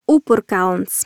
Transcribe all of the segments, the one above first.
Upurkalns.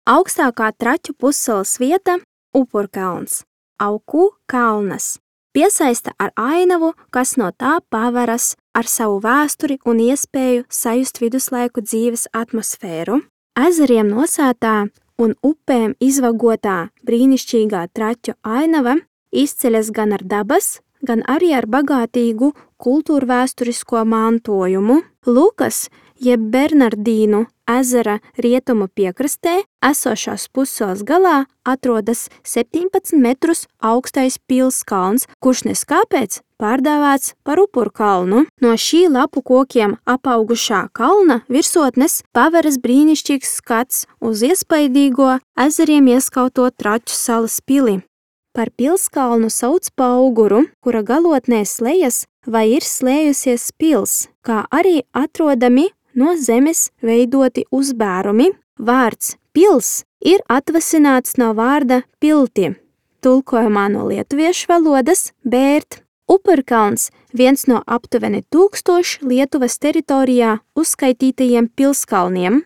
Augstākā Traķu pussalas vieta – Upurkalns. Auku kalnas. Piesaista ar ainavu, kas no tā paveras ar savu vēsturi un iespēju sajust viduslaiku dzīves atmosfēru. Ezeriem nosētā un upēm izvagotā brīnišķīgā Traķu ainava izceļas gan ar dabas, gan arī ar bagātīgu kultūrvēsturisko mantojumu. Lukas, jeb Bernardīnu ezera rietumu piekrastē, esošās pussalas galā atrodas 17 metrus augstais pilskalns, kurš neskāpēc pārdēvēts par Upurkalnu. No šī lapu kokiem apaugušā kalna virsotnes paveras brīnišķīgs skats uz iespaidīgo ezeriem ieskauto Traķu salas pili. Par pilskalnu sauc Pauguru, kura galotnē slejas vai ir slējusies pils, kā arī atrodami no zemes veidoti uzbērumi. Vārds pils ir atvasināts no vārda pilti, tulkojumā no lietuviešu valodas bērt. Upurkalns viens no aptuveni 1000 Lietuvas teritorijā uzskaitītajiem pilskalniem.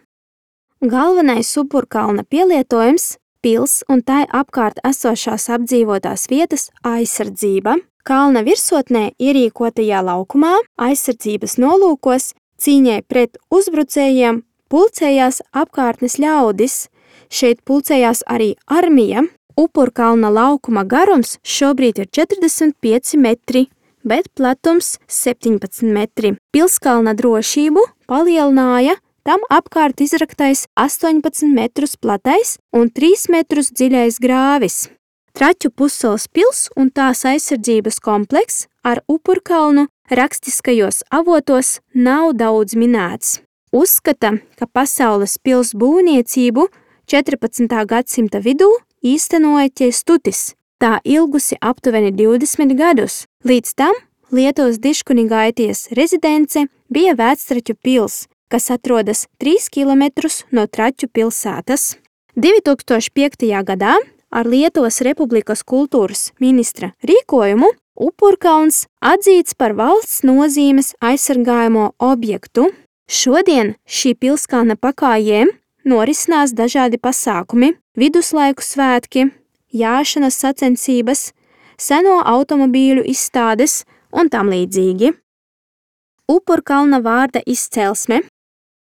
Galvenais Upurkalna pielietojums – pils un tai apkārt esošās apdzīvotās vietas aizsardzība. Kalna virsotnē ierīkotajā laukumā aizsardzības nolūkos cīņai pret uzbrucējiem pulcējās apkārtnes ļaudis. Šeit pulcējās arī armija. Upurkalna laukuma garums šobrīd ir 45 metri, bet platums 17 metri. Pilskalna drošību palielināja tam apkārt izraktais 18 metrus platais un 3 metrus dziļais grāvis. Traķu pussalas pils un tās aizsardzības komplekss ar Upurkalnu rakstiskajos avotos nav daudz minēts. Uzskata, ka pasaules pils būvniecību 14. gadsimta vidū īstenoja Ķestutis. Tā ilgusi aptuveni 20 gadus. Līdz tam Lietuvas diškunigaities rezidence bija Vectraķu pils, kas atrodas 3 kilometrus no Traķu pilsētas. 2005. gadā ar Lietuvas Republikas kultūras ministra rīkojumu Upurkalns atzīts par valsts nozīmes aizsargājamo objektu. Šodien šī pilskalna pakājiem norisinās dažādi pasākumi, viduslaiku svētki, jāšanas sacensības, seno automobīļu izstādes un tam līdzīgi. Upurkalna vārda izcelsme.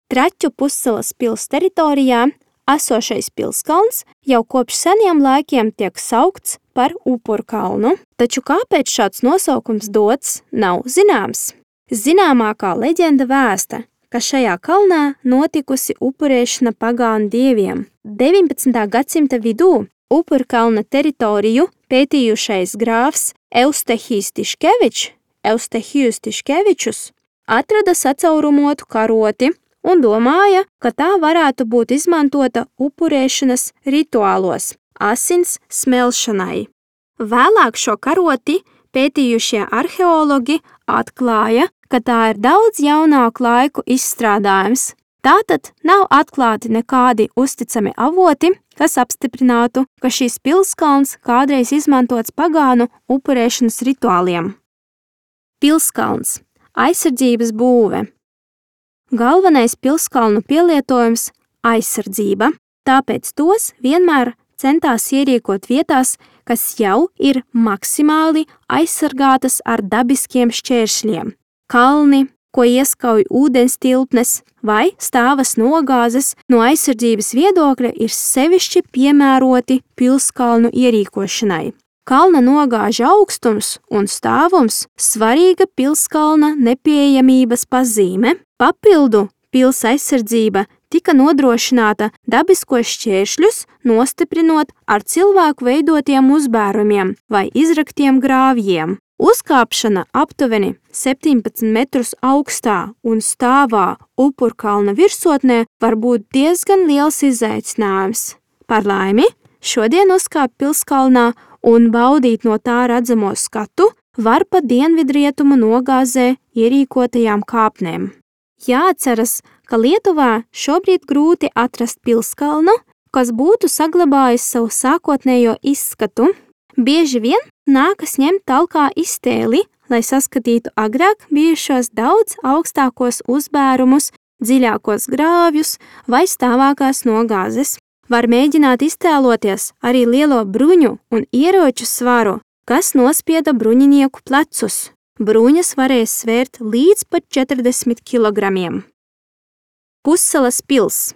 Traķu pussalas pils teritorijā esošais pilskalns jau kopš seniem laikiem tiek saukts par Upurkalnu, taču kāpēc šāds nosaukums dots, nav zināms. Zināmākā leģenda vēsta, ka šajā kalnā notikusi upurēšana pagānu dieviem. 19. gadsimta vidū Upurkalna teritoriju pētījušais grāfs Eustehijs Tiškevičus atrada sacaurumotu karoti un domāja, ka tā varētu būt izmantota upurēšanas rituālos, asins smelšanai. Vēlāk šo karoti pētījušie arheologi atklāja, ka tā ir daudz jaunāku laiku izstrādājums. Tātad nav atklāti nekādi uzticami avoti, kas apstiprinātu, ka šīs pilskalns kādreiz izmantots pagānu upurēšanas rituāliem. Pilskalns – aizsardzības būve. Galvenais pilskalnu pielietojums – aizsardzība, tāpēc tos vienmēr centās ierīkot vietās, kas jau ir maksimāli aizsargātas ar dabiskiem šķēršļiem. Kalni, ko ieskauj ūdens tilpnes vai stāvas nogāzes no aizsardzības viedokļa ir sevišķi piemēroti pilskalnu ierīkošanai. Kalna nogāža augstums un stāvums svarīga pilskalna nepieejamības pazīme. Papildu pils aizsardzība tika nodrošināta dabiskos šķēršļus nostiprinot ar cilvēku veidotiem uzbērumiem vai izraktiem grāvjiem. Uzkāpšana aptuveni 17 metrus augstā un stāvā Upurkalna virsotnē var būt diezgan liels izaicinājums. Par laimi, šodien uzkāpt pilskalnā un baudīt no tā redzamo skatu var pa dienvidrietumu nogāzē ierīkotajām kāpnēm. Jāatceras, ka Lietuvā šobrīd grūti atrast pilskalnu, kas būtu saglabājis savu sākotnējo izskatu. Bieži vien nākas ņemt talkā iztēli, lai saskatītu agrāk bijušos daudz augstākos uzbērumus dziļākos grāvjus vai stāvākās nogāzes. Var mēģināt iztēloties arī lielo bruņu un ieroču svaru, kas nospieda bruņinieku plecus. Bruņas varēja svērt līdz pat 40 kilogramiem. Pussalas pils.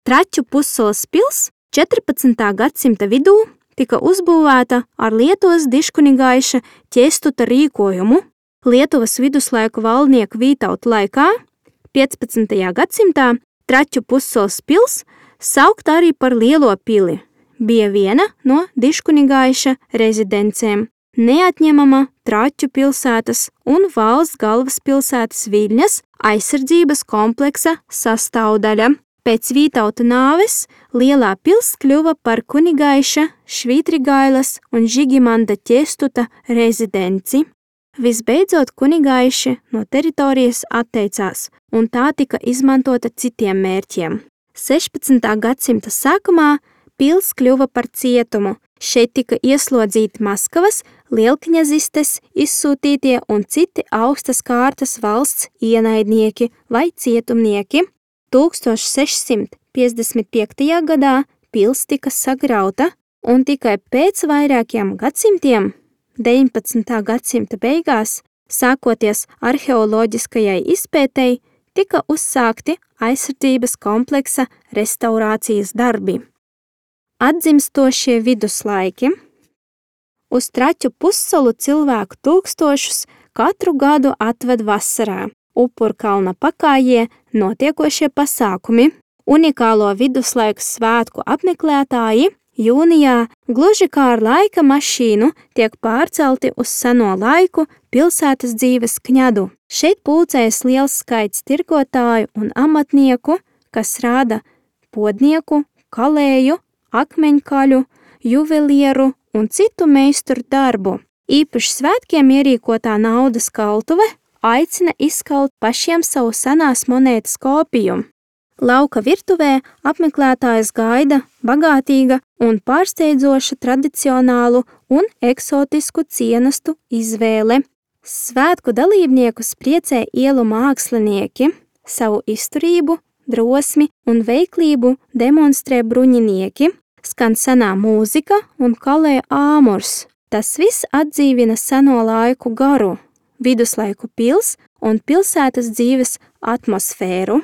Traķu pussalas pils 14. gadsimta vidū tika uzbūvēta ar Lietuvas diškunigaiša Ķestuta rīkojumu. Lietuvas viduslaiku valdnieku Vītauta laikā, 15. gadsimtā, Traķu pussalas pils, saukta arī par Lielo pili, bija viena no diškunigaiša rezidencēm, neatņemama Traķu pilsētas un valsts galvaspilsētas Viļņas aizsardzības kompleksa sastāvdaļa. Pēc Vītauta nāves Lielā pils kļuva par kunigaiša Švītrigailas un Žigimanta Ķestuta rezidenci. Visbeidzot, kunigaiši no teritorijas atteicās, un tā tika izmantota citiem mērķiem. 16. gadsimta sākumā pils kļuva par cietumu. Šeit tika ieslodzīti Maskavas, lielkņazistes, izsūtītie un citi augstas kārtas valsts ienaidnieki vai cietumnieki. 1655. gadā pils tika sagrauta, un tikai pēc vairākiem gadsimtiem, 19. gadsimta beigās, sākoties arheoloģiskajai izpētei, tika uzsākti aizsardzības kompleksa restaurācijas darbi. Atzimstošie viduslaiki. Uz Traķu pussalu cilvēku tūkstošus katru gadu atved vasarā. Upurkalna pakājie notiekošie pasākumi, unikālo viduslaiku svētku apmeklētāji jūnijā, gluži kā ar laika mašīnu, tiek pārcelti uz seno laiku pilsētas dzīves kņadu. Šeit pulcējas liels skaits tirgotāju un amatnieku, kas rāda podnieku, kalēju, akmeņkaļu, juvelieru un citu meistaru darbu. Īpaši svētkiem ierīkotā naudas kaltuve aicina izkalt pašiem savu senās monētas kopiju. Lauka virtuvē apmeklētājs gaida bagātīga un pārsteidzoša tradicionālu un eksotisku cienastu izvēle. Svētku dalībniekus priecē ielu mākslinieki, savu izturību, drosmi un veiklību demonstrē bruņinieki, skan senā mūzika un kalē āmurs. Tas viss atdzīvina seno laiku garu, viduslaiku pils un pilsētas dzīves atmosfēru.